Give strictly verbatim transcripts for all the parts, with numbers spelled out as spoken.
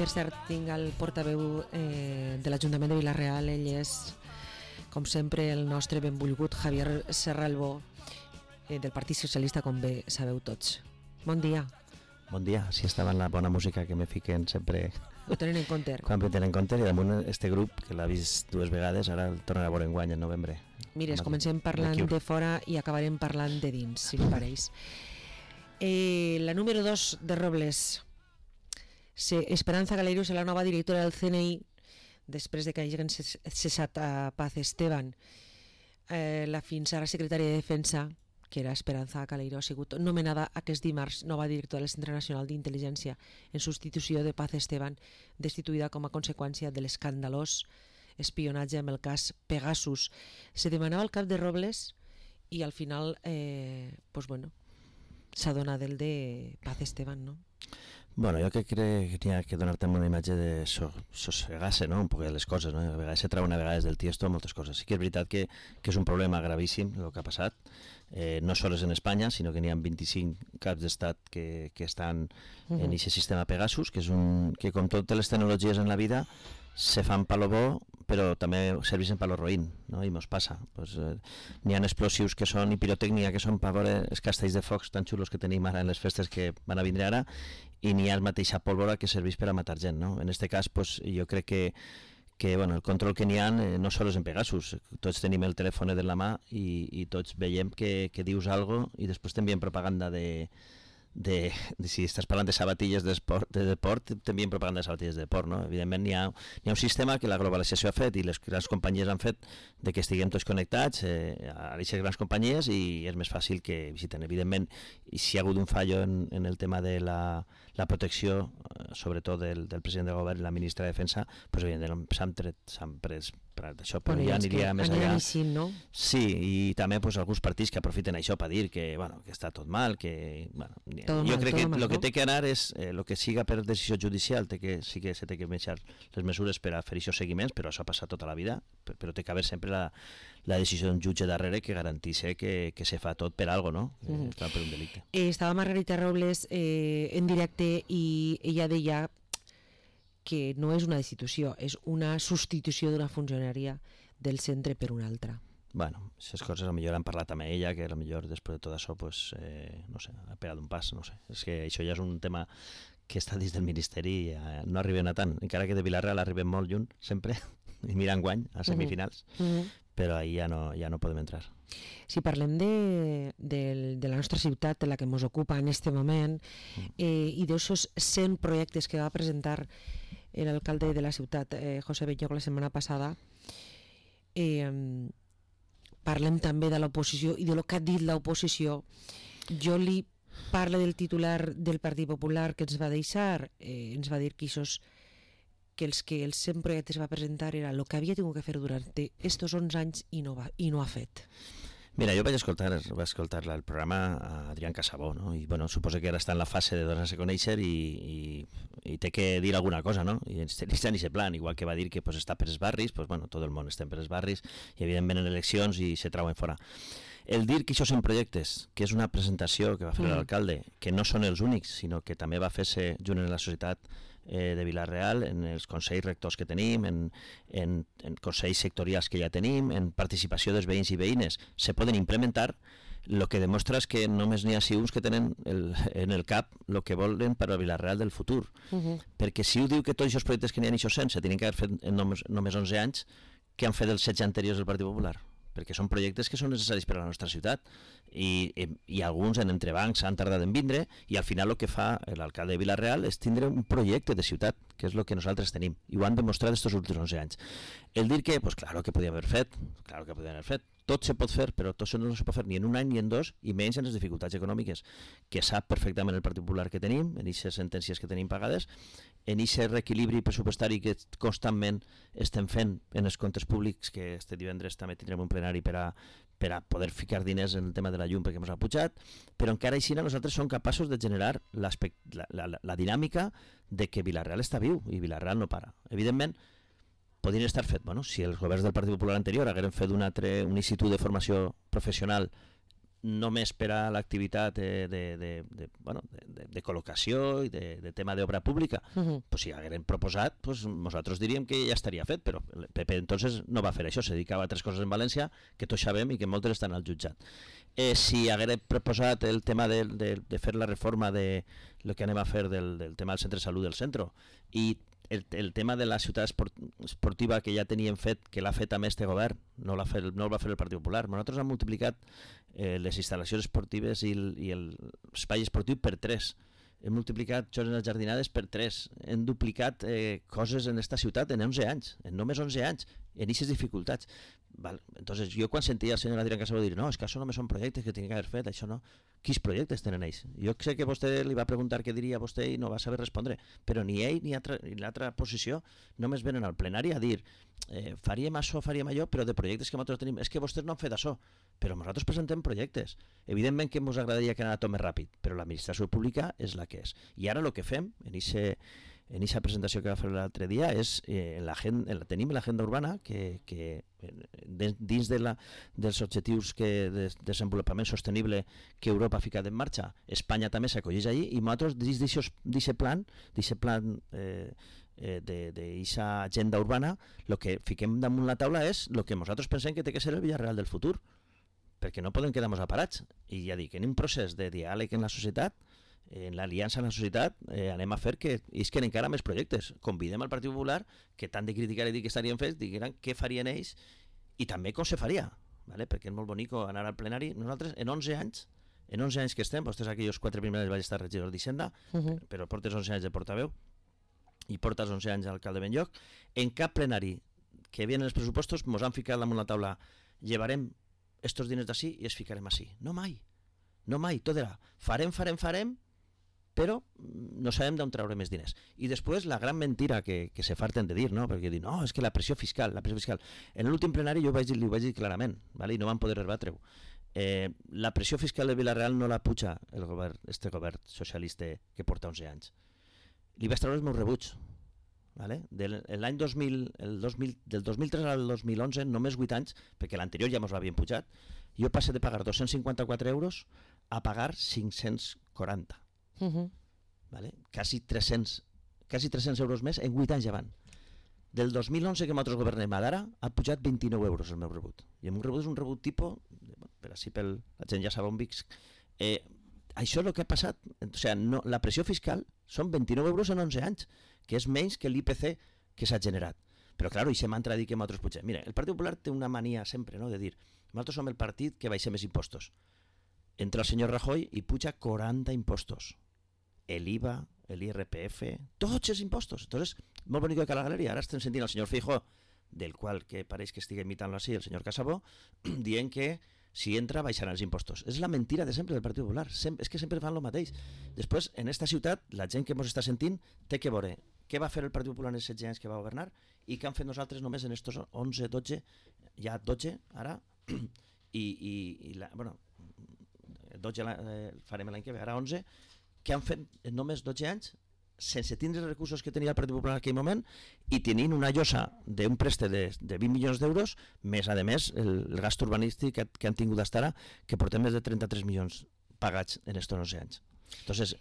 per cert, tinc el portaveu eh, de l'Ajuntament de Vila-real. Ell és, com sempre, el nostre benvolgut Javier Serralbó, eh, del Partit Socialista, com bé sabeu tots. Bon dia. Bon dia, si estava en la bona música que me fiquen sempre... Ho tenen en compte. Quan me tenen en compte, i damunt este grup, que l'ha vist dues vegades, ara el tornarà a veure enguany en novembre. Mires, comencem parlant de fora i acabarem parlant de dins, si li pareix. Eh, la número dos de Robles. Se, Esperanza Galeiro serà la nova directora del C N I després de que hagin cessat a Paz Esteban. Eh, la fins ara secretària de Defensa, que era Esperanza Galeiro, ha sigut nomenada aquest dimarts nova directora del Centre Nacional d'Intel·ligència en substitució de Paz Esteban, destituïda com a conseqüència de l'escandalós espionatge amb el cas Pegasus. Se demanava el cap de Robles i al final eh, pues bueno, s'adona del de Paz Esteban, no? Bueno, jo crec que n'hi ha que donar-te una imatge de sossegar-se, no? Un poc de les coses, no? A vegades se treuen a vegades del tiesto moltes coses. Sí que és veritat que, que és un problema gravíssim el que ha passat, eh, no sols en Espanya, sinó que n'hi ha vint-i-cinc caps d'estat que, que estan uh-huh. en aquest sistema Pegasus, que és un que com totes les tecnologies en la vida se fan palo bo, però també serveixen palo roïn, no? I mos passa. Pues, eh, n'hi ha explosius que són i pirotècnica que són per veure els castells de focs tan xulos que tenim ara en les festes que van a vindre ara, i n'hi ha la mateixa pólvora que serveix per a matar gent, no? En este cas, pues, jo crec que que bueno, el control que n'hi ha eh, no sols en Pegasus, tots tenim el telèfon de la mà i, i tots veiem que, que dius algo i després t'envien propaganda de De, de si estàs parlant de sabatilles d'esport, de deport, t'envien propaganda de sabatilles de deport, no? Evidentment hi ha, hi ha un sistema que la globalització ha fet i les grans companyies han fet de que estiguem tots connectats eh, a aquestes grans companyies i és més fàcil que visiten. Evidentment, i si hi ha hagut un fallo en, en el tema de la, la protecció, eh, sobretot del, del president del govern i la ministra de Defensa, pues, evidentment s'han tret, s'han pres per això, però bueno, ja aniria més allà. Així, no? Sí, i també pues, alguns partits que aprofiten això per dir que, bueno, que està tot mal, que... Bueno, todo jo mal, crec que el mal, que no? té que anar és eh, el que siga per decisió judicial, té que, sí que se té que deixar les mesures per a fer aquests seguiments, però això ha passat tota la vida, però té que haver sempre la, la decisió d'un jutge darrere que garantisse que, que se fa tot per algo, no? Que mm -hmm. per un delicte. Eh, estava Margarita Robles eh, en directe i ella deia que no és una destitució, és una substitució d'una funcionària del centre per una altra. Bueno, aquestes coses potser han parlat amb ella, que potser després de tot això, pues, eh, no sé, ha pegat un pas, no sé. És que això ja és un tema que està dins del Ministeri i eh, no arriben a tant, encara que de Vila-real arribem molt lluny, sempre, i mirant guany a semifinals, uh -huh. però ahir ja no, ja no podem entrar. Si parlem de, de, de la nostra ciutat, de la que ens ocupa en aquest moment, eh, i d'aquests cent projectes que va presentar l'alcalde de la ciutat, eh, José Belloc, la setmana passada, eh, parlem també de l'oposició i de lo que ha dit l'oposició. Jo li parlo del titular del Partit Popular que ens va deixar, eh, ens va dir que això que els que els cent projectes va presentar era el que havia tingut que fer durant estos onze anys i no, va, i no ha fet. Mira, jo vaig escoltar, vaig escoltar el programa a Adrián Casabó, no? I bueno, suposo que ara està en la fase de donar-se a conèixer i, i, i té que dir alguna cosa, no? I està en aquest plan, igual que va dir que pues, està per els barris, pues, bueno, tot el món està per els barris i evidentment en eleccions i se trauen fora. El dir que això són projectes, que és una presentació que va fer mm. l'alcalde, que no són els únics, sinó que també va fer-se junt en la societat eh, de Vila-real, en els consells rectors que tenim, en, en, en consells sectorials que ja tenim, en participació dels veïns i veïnes, se poden implementar, el que demostra és que només n'hi ha si uns que tenen el, en el cap el que volen per a Vila-real del futur. Uh -huh. Perquè si ho diu que tots aquests projectes que n'hi ha això sense tenen que haver fet en només, només onze anys, què han fet els setze anteriors del Partit Popular? Perquè són projectes que són necessaris per a la nostra ciutat i, i, i alguns en entrebancs han tardat en vindre i al final el que fa l'alcalde de Vila-real és tindre un projecte de ciutat, que és el que nosaltres tenim i ho han demostrat estos últims onze anys. El dir que, pues claro que podien haver fet, claro que podien haver fet, tot se pot fer, però tot no se pot fer ni en un any ni en dos, i menys en les dificultats econòmiques, que sap perfectament el Partit Popular que tenim, en aquestes sentències que tenim pagades, en aquest reequilibri pressupostari que constantment estem fent en els comptes públics, que este divendres també tindrem un plenari per a, per a poder ficar diners en el tema de la llum perquè ens ha pujat, però encara així nosaltres som capaços de generar la, la, la dinàmica de que Vila-real està viu i Vila-real no para. Evidentment, podrien estar fet, bueno, si els governs del Partit Popular anterior hagueren fet un altre un institut de formació professional només per a l'activitat de, de, de, de, bueno, de, de, de col·locació i de, de tema d'obra pública, uh-huh. pues si haguérem proposat, pues nosaltres diríem que ja estaria fet, però el P P entonces no va fer això, se dedicava a altres coses en València que tots sabem i que moltes estan al jutjat. Eh, si haguérem proposat el tema de, de, de fer la reforma de lo que anem a fer del, del tema del centre de salut del centre i El, el tema de la ciutat esport, esportiva que ja teníem fet, que l'ha fet amb este govern, no, l'ha fet, no el va fer el Partit Popular. Nosaltres hem multiplicat eh, les instal·lacions esportives i l'espai esportiu per tres. Hem multiplicat zones jardinades per tres. Hem duplicat eh, coses en esta ciutat en onze anys, en només onze anys, en aquestes dificultats. Val. Entonces, jo quan sentia el senyor Adrián Casabó dir no, és que això només són projectes que tenia que haver fet, això no. Quins projectes tenen ells? Jo sé que vostè li va preguntar què diria vostè i no va saber respondre, però ni ell ni, altra, ni l'altra posició només venen al plenari a dir eh, faríem això, faríem allò, però de projectes que nosaltres tenim, és que vostès no han fet això, però nosaltres presentem projectes. Evidentment que ens agradaria que anara tot més ràpid, però l'administració pública és la que és. I ara el que fem, en aquest en aquesta presentació que va fer l'altre dia és eh, en la, en la, tenim l'agenda urbana que, que de, dins de la, dels objectius que de desenvolupament sostenible que Europa ha ficat en marxa, Espanya també s'acolleix allí i nosaltres dins d'aquest plan, d'aquest plan eh, eh, d'aquesta agenda urbana, el que fiquem damunt la taula és el que nosaltres pensem que té que ser el Villarreal del futur, perquè no podem quedar-nos aparats. I ja dic, en un procés de diàleg en la societat, en l'aliança en la societat, eh, anem a fer que isquen encara més projectes. Convidem al Partit Popular, que tant de criticar i dir que estarien fets, digueren què farien ells i també com se faria, ¿vale? Perquè és molt bonic anar al plenari. Nosaltres en onze anys, en onze anys que estem, vostès aquells quatre primers vaig estar regidor d'Hisenda, uh-huh. però portes onze anys de portaveu i portes onze anys d'alcalde ben lloc, en cap plenari que vienen els pressupostos ens han ficat damunt la taula, llevarem estos diners d'ací i es ficarem així. No mai, no mai, tot era farem, farem, farem, però no sabem d'on treure més diners. I després la gran mentira que, que se farten de dir, no? Perquè diuen, no, és que la pressió fiscal, la pressió fiscal. En l'últim plenari jo vaig dir, li ho vaig dir clarament, ¿vale? I no van poder rebatre-ho. Eh, la pressió fiscal de Villarreal no la puja el govern, este govern socialista que porta onze anys. Li vaig treure els meus rebuts. ¿Vale? Del, l'any dos mil, el dos mil, del dos mil tres al dos mil onze, només vuit anys, perquè l'anterior ja ens l'havien pujat, jo passé de pagar dos-cents cinquanta-quatre euros a pagar cinc-cents quaranta. Uh-huh. Vale? Quasi tres-cents, quasi tres-cents euros més en vuit anys llevant. Del dos mil onze que nosaltres governem a d'ara ha pujat vint-i-nou euros el meu rebut. I el meu rebut és un rebut tipus, per així pel, la gent ja sap on vic, eh, això és el que ha passat. O sigui, no, la pressió fiscal són vint-i-nou euros en onze anys, que és menys que l'I P C que s'ha generat. Però, clar, i se mantra dir que nosaltres pugem. Mira, el Partit Popular té una mania sempre, no?, de dir, nosaltres som el partit que baixem més impostos. Entra el senyor Rajoy i puja quaranta impostos. El I V A, el I R P F, tots els impostos. Entonces, molt bonic que a la galeria. Ara estem sentint el senyor Feijóo, del qual que pareix que estigui imitant-lo així, el senyor Casabó, dient que si entra baixaran els impostos. És la mentira de sempre del Partit Popular. Sem- és que sempre fan el mateix. Després, en esta ciutat, la gent que ens està sentint té que veure què va fer el Partit Popular en els setze anys que va governar i què han fet nosaltres només en estos onze, dotze, ja dotze, ara, i, i, i la, bueno, dotze la, eh, farem l'any que ve, ara onze, que han fet en només dotze anys sense tindre els recursos que tenia el Partit Popular en aquell moment i tenint una llosa d'un préstec de, de vint milions d'euros, més a més el, el gast urbanístic que, que han tingut d'estar ara, que portem més de trenta-tres milions pagats en estos onze anys. Entonces,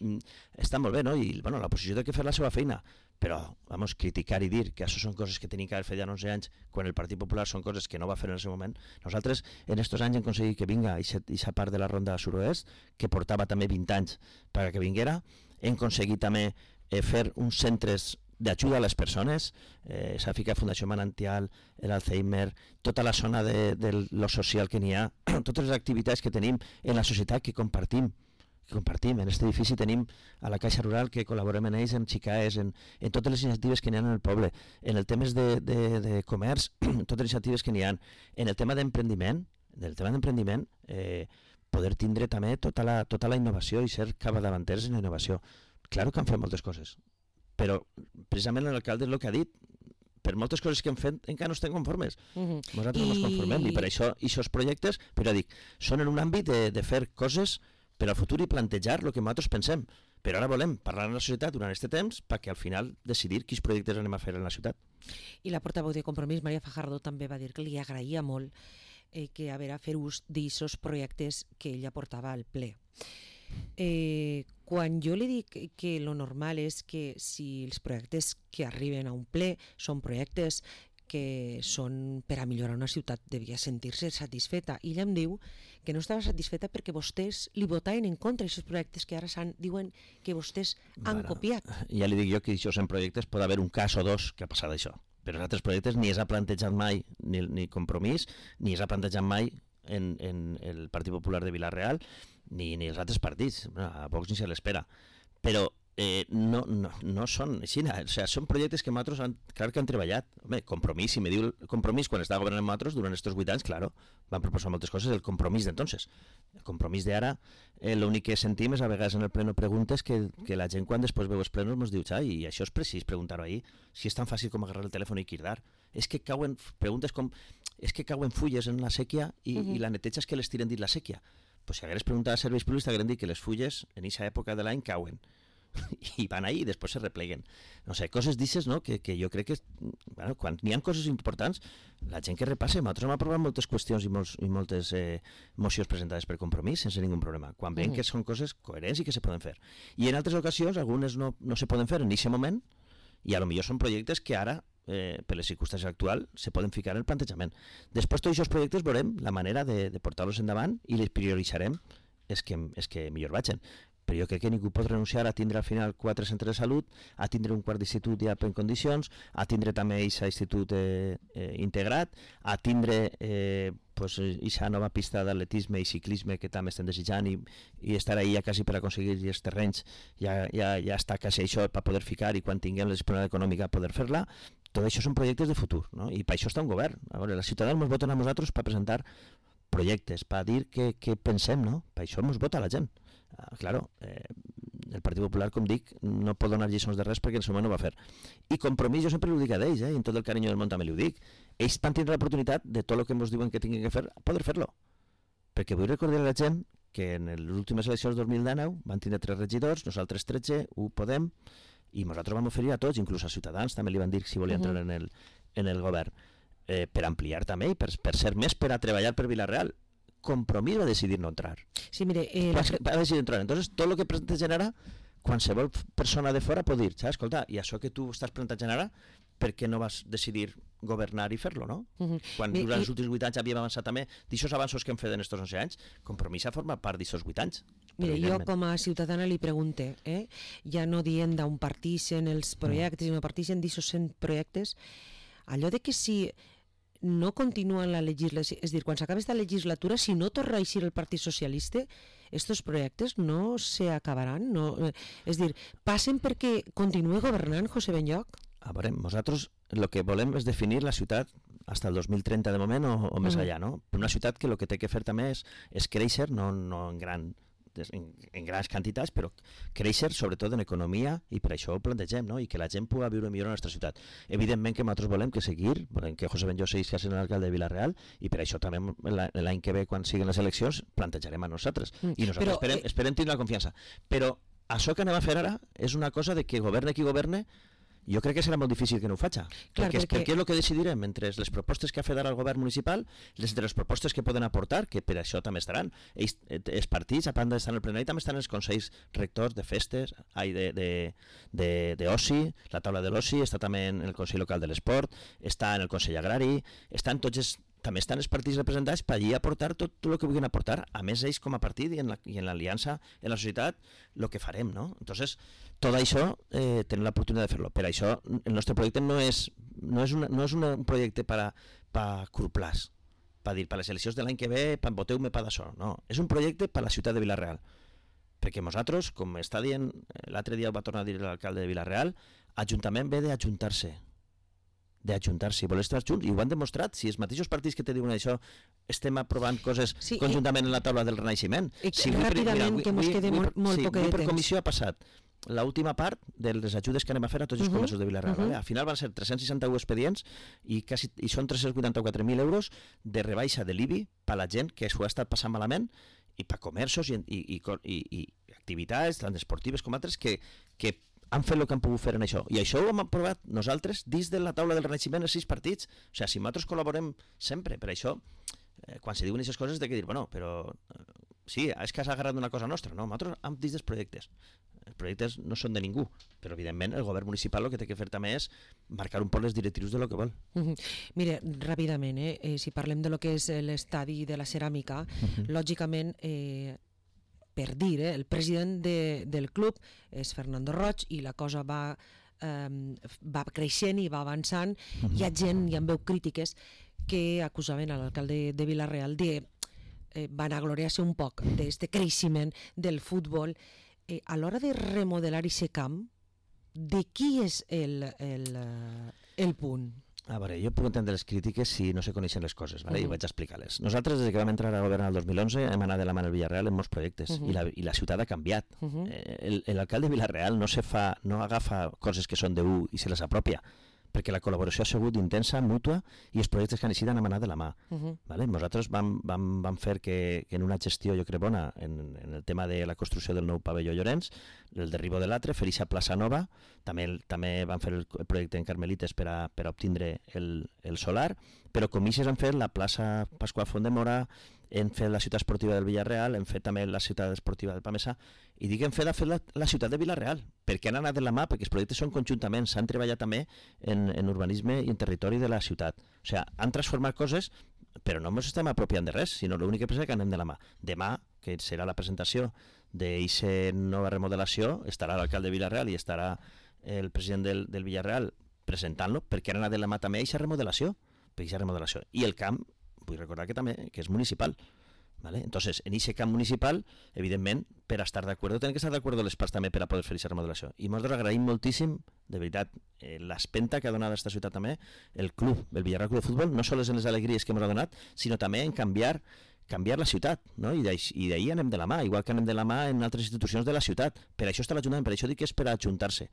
està molt bé, no? I bueno, l'oposició té que fer la seva feina, però vamos, criticar i dir que això són coses que tenien que haver fet ja en onze anys, quan el Partit Popular són coses que no va fer en el seu moment. Nosaltres en estos anys hem aconseguit que vinga aquesta part de la ronda sud-oest, que portava també vint anys perquè vinguera. Hem aconseguit també eh, fer uns centres d'ajuda a les persones, eh, s'ha ficat Fundació Manantial, l'Alzheimer, tota la zona de, de lo social que n'hi ha, totes les activitats que tenim en la societat que compartim, que compartim. En aquest edifici tenim a la Caixa Rural que col·laborem en ells, en Xicaes, en, en totes les iniciatives que n'hi ha en el poble, en el temes de, de, de comerç, totes les iniciatives que n'hi ha, en el tema d'emprendiment, en el tema d'emprendiment, eh, poder tindre també tota la, tota la innovació i ser capdavanters en la innovació. Claro que han fet moltes coses, però precisament l'alcalde és el que ha dit, per moltes coses que hem fet encara no estem conformes. Uh-huh. Nosaltres I... no ens conformem, i per això aquests projectes, però dic, són en un àmbit de, de fer coses per al futur i plantejar el que nosaltres pensem. Però ara volem parlar amb la societat durant aquest temps perquè al final decidir quins projectes anem a fer en la ciutat. I la portaveu de Compromís, Maria Fajardo, també va dir que li agraïa molt eh, que haver a fer ús d'aquests projectes que ella portava al ple. Eh, quan jo li dic que lo normal és que si els projectes que arriben a un ple són projectes que són per a millorar una ciutat, devia sentir-se satisfeta. I ella em diu que no estava satisfeta perquè vostès li votaven en contra aquests projectes que ara diuen que vostès han bueno, copiat. Ja li dic jo que això en projectes pot haver un cas o dos que ha passat això, però en altres projectes ni s'ha plantejat mai ni, ni Compromís, ni s'ha plantejat mai en, en el Partit Popular de Vila-real, ni, ni els altres partits, a Vox ni se l'espera, però Eh, no, no, no són així, o sea, són projectes que nosaltres han, clar que han treballat. Home, Compromís, si me diu el Compromís quan estava governant nosaltres durant aquests vuit anys, claro, van proposar moltes coses, el Compromís d'entonces. El Compromís d'ara, eh, l'únic que sentim és a vegades en el pleno preguntes que, que la gent quan després veu els plenos ens diu, xai, i això és precís preguntar-ho ahir, si és tan fàcil com agarrar el telèfon i cridar. És que cauen, preguntes com, és que cauen fulles en la sèquia i, uh-huh. i la neteja és que les tiren dins la sèquia. Pues si hagués preguntat a serveis públics t'hagueren dit que les fulles en aquesta època de l'any cauen i van ahí i després se repleguen. No sé, coses d'ixes, no?, que, que jo crec que bueno, quan n'hi ha coses importants, la gent que repasse. Nosaltres hem aprovat moltes qüestions i, molts, i moltes eh, mocions presentades per Compromís sense ningú problema, quan veiem mm. que són coses coherents i que se poden fer. I en altres ocasions, algunes no, no se poden fer en aquest moment, i a lo millor són projectes que ara, eh, per les circumstàncies actuals, se poden ficar en el plantejament. Després tots aquests projectes veurem la manera de, de portar-los endavant i les prioritzarem és que, és que millor vagin. Però jo crec que ningú pot renunciar a tindre al final quatre centres de salut, a tindre un quart d'institut ja en condicions, a tindre també aquest institut eh, eh, integrat, a tindre eh, pues, aquesta nova pista d'atletisme i ciclisme que també estem desitjant i, i estar ahí ja quasi per aconseguir els terrenys, ja, ja, ja està quasi això per poder ficar i quan tinguem la disponibilitat econòmica poder fer-la. Tot això són projectes de futur, no? I per això està un govern. A veure, els ciutadans ens voten a nosaltres per presentar projectes, per dir què, què pensem, no? Per això ens vota la gent. Ah, claro, eh, el Partit Popular, com dic, no pot donar lliçons de res perquè en el seu moment no va fer. I Compromís, jo sempre li ho dic a ells, eh, i en tot el carinyo del món també li ho dic, ells van tindre l'oportunitat de tot el que ens diuen que tinguin que fer, poder fer-lo. Perquè vull recordar a la gent que en les últimes eleccions del dos mil dinou van tindre tres regidors, nosaltres tretze, ho Podem, i nosaltres vam oferir a tots, inclús a Ciutadans, també li van dir si volia entrar uh-huh. en, el, en el govern, eh, per ampliar també i per, per ser més per a treballar per Vila-real. Compromís va decidir no entrar. Sí, mire, eh, va, va decidir entrar. Entonces, tot el que plantegen ara, qualsevol persona de fora pot dir, saps, escolta, i això que tu estàs plantejant ara, per què no vas decidir governar i fer-lo, no? Uh-huh. Quan durant els últims vuit anys havíem avançat també d'aixòs avanços que hem fet en aquests onze anys, Compromís ha format part d'aixòs vuit anys. Mire, jo com a ciutadana li pregunte, eh? ja no dient d'on partixen els projectes, sinó partixen d'aixòs cent projectes, allò de que si no continua la legislatura, és dir, quan s'acaba aquesta legislatura, si no torna a eixir el Partit Socialista, estos projectes no se acabaran, no, és dir, passen perquè continue governant José Benlloch. A veure, nosaltres el que volem és definir la ciutat fins al dos mil trenta de moment o, o més uh-huh. allà, no? Una ciutat que el que té que fer també és, és créixer, no, no en gran En, en grans quantitats, però créixer sobretot en economia i per això ho plantegem, no? I que la gent pugui viure millor a la nostra ciutat. Evidentment que nosaltres volem que seguir, volem que José Benlloch segueixi sent l'alcalde de Vila-real i per això també l'any que ve, quan siguin les eleccions, plantejarem a nosaltres. Mm. I nosaltres però, esperem, eh... esperem tenir la confiança. Però això que anem a fer ara és una cosa de que governe qui governe, jo crec que serà molt difícil que no ho faci. Clar, perquè, perquè... perquè és el que decidirem entre les propostes que ha fet ara el govern municipal, les de les propostes que poden aportar, que per això també estaran. Ells, els partits, a part d'estar en el plenari, també estan els consells rectors de festes, ai, de, de, de, de oci, la taula de l'oci, està també en el Consell Local de l'Esport, està en el Consell Agrari, estan tots els també estan els partits representats per allí aportar tot, tot el que vulguin aportar, a més ells com a partit i en l'aliança, en la societat, el que farem, no? Entonces, tot això eh, tenim l'oportunitat de fer-lo. Per això el nostre projecte no és, no és, una, no és una, un projecte per a, per a curt plaç, per dir, per les eleccions de l'any que ve, per voteu-me per d'això, no. És un projecte per a la ciutat de Vila-real. Perquè nosaltres, com està dient, l'altre dia ho va tornar a dir l'alcalde de Vila-real, Ajuntament ve d'ajuntar-se. d'ajuntar-se i voler estar junts, i ho han demostrat. Si els mateixos partits que te diuen això estem aprovant coses sí, conjuntament i, en la taula del Renaixement. I, si ràpidament, mira, que ens quede molt, molt sí, poc de temps. Per comissió ha passat l'última part de les ajudes que anem a fer a tots els uh-huh, comerços de Vila-real. Uh-huh. Vale? Al final van ser tres-cents seixanta-u expedients i, quasi, i són tres-cents vuitanta-quatre mil euros de rebaixa de l'I B I per a la gent que s'ho ha estat passant malament i per comerços i, i, i, i, i activitats, tant esportives com altres, que, que han fet el que han pogut fer en això. I això ho hem aprovat nosaltres dins de la taula del Renaixement els sis partits. O sigui, si nosaltres col·laborem sempre, per això eh, quan se diuen aquestes coses té que dir, bueno, però eh, sí, és que has agarrat una cosa nostra, no? Nosaltres hem dit dels projectes. Els projectes no són de ningú, però evidentment el govern municipal el que té que fer també és marcar un poc les directrius de lo que vol. Uh-huh. Mire, ràpidament, eh, eh, si parlem de lo que és l'estadi de la ceràmica, uh-huh. lògicament, eh, per dir, eh, el president de, del club és Fernando Roig i la cosa va, eh, va creixent i va avançant. Uh-huh. Hi ha gent, hi ha veu crítiques que acusaven a l'alcalde de Vila-real de eh, vanagloriar-se un poc d'aquest creixement del futbol. Eh, a l'hora de remodelar aquest camp, de qui és el, el, el punt? A veure, jo puc entendre les crítiques si no se coneixen les coses, ¿vale? Uh-huh. I vaig a explicar-les. Nosaltres, des que vam entrar al govern el dos mil onze, hem anat de la mà del Villarreal en molts projectes, uh-huh. i, la, i la ciutat ha canviat. Uh-huh. Eh, L'alcalde de Vila-real no, se fa, no agafa coses que són d'un i se les apropia, perquè la col·laboració ha sigut intensa, mútua, i els projectes que han eixit han anat de la mà. Uh-huh. Vale? Nosaltres vam, vam, vam fer que, que en una gestió, jo crec, bona, en, en el tema de la construcció del nou pavelló Llorenç, el derribo de l'altre, fer aquesta plaça nova, també, també vam fer el, el projecte en Carmelites per a, per a obtindre el, el solar, però com ixes han fet la plaça Pasqual Font-de-Mora, hem fet la ciutat esportiva del Villarreal, hem fet també la ciutat esportiva del Pamesa, i dic hem fet, fet la, la ciutat de Vila-real, perquè han anat de la mà, perquè els projectes són conjuntament, s'han treballat també en, en urbanisme i en territori de la ciutat. O sigui, han transformat coses, però no ens estem apropiant de res, sinó l'únic que pensa que anem de la mà. Demà, que serà la presentació d'aquesta nova remodelació, estarà l'alcalde de Vila-real i estarà el president del, del Villarreal presentant-lo, perquè han anat de la mà també aquesta remodelació, per aquesta remodelació. I el camp, vull recordar que també que és municipal, ¿vale? Entonces, en aquest camp municipal, evidentment, per estar d'acord, tenen que estar d'acord les parts també per a poder fer aquesta remodelació. I nosaltres agraïm moltíssim, de veritat, eh, l'espenta que ha donat a aquesta ciutat també el club, el Villarreal Club de Futbol, no sols en les alegries que ens ha donat, sinó també en canviar canviar la ciutat, no? I d'ahir anem de la mà, igual que anem de la mà en altres institucions de la ciutat. Per això està l'Ajuntament, per això dic que és per ajuntar-se.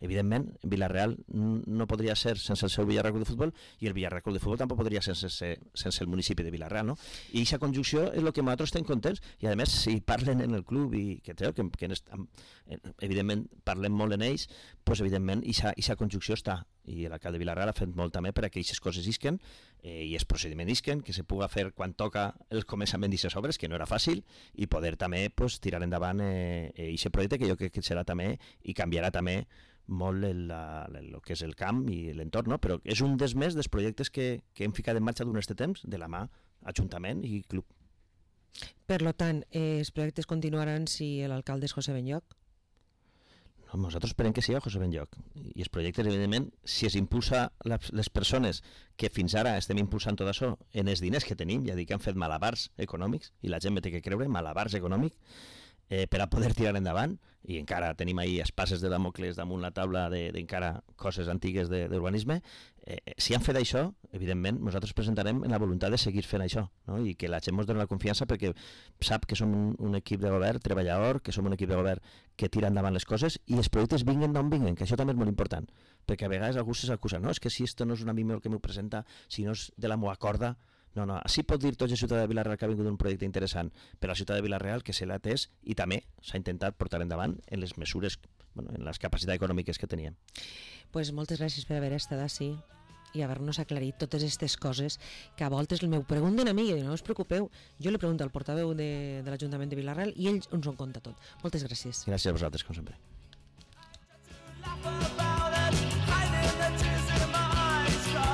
Evidentment, Vila-real no podria ser sense el seu Villarreal Club de Futbol i el Villarreal Club de Futbol tampoc podria ser sense, sense el municipi de Vila-real, no? I aquesta conjunció és el que nosaltres estem contents i a més si parlen en el club i que, que, que evidentment parlem molt en ells, doncs evidentment aquesta conjunció està i l'alcalde de Vila-real ha fet molt també per a que aquestes coses isquen eh, i el procediment isquen, que se puga fer quan toca el començament d'aquestes obres, que no era fàcil, i poder també pues, tirar endavant aquest eh, projecte que jo crec que serà també i canviarà també molt el, el, el que és el camp i l'entorn, no? Però és un dels més dels projectes que, que hem ficat en marxa durant aquest temps de la mà Ajuntament i club. Per lo tant, eh, els projectes continuaran si l'alcalde és José Benlloch? No, nosaltres esperem que sigui José Benlloch. I els projectes, evidentment, si es impulsa les persones que fins ara estem impulsant tot això en els diners que tenim, ja dic que han fet malabars econòmics, i la gent me té que creure, malabars econòmics, Eh, per a poder tirar endavant, i encara tenim ahir espases de Damocles damunt la taula d'encara de, coses antigues d'urbanisme, eh, si han fet això, evidentment, nosaltres presentarem la voluntat de seguir fent això, no? I que la gent ens doni la confiança perquè sap que som un, un equip de govern treballador, que som un equip de govern que tira endavant les coses i els projectes vinguen d'on vinguen, que això també és molt important, perquè a vegades algú s'acusa, no, és que si esto no és un amic meu que m'ho presenta, si no és de la meva corda. No, no, així pot dir tots els ciutadans de Vila-real que ha vingut un projecte interessant per a la ciutat de Vila-real que se l'ha atès i també s'ha intentat portar endavant en les mesures, bueno, en les capacitats econòmiques que teníem. Pues moltes gràcies per haver estat així i haver-nos aclarit totes aquestes coses que a voltes el meu pregunten a mi i no us preocupeu, jo li pregunto al portaveu de, de l'Ajuntament de Vila-real i ell ens ho conta tot. Moltes gràcies. Gràcies a vosaltres, com sempre.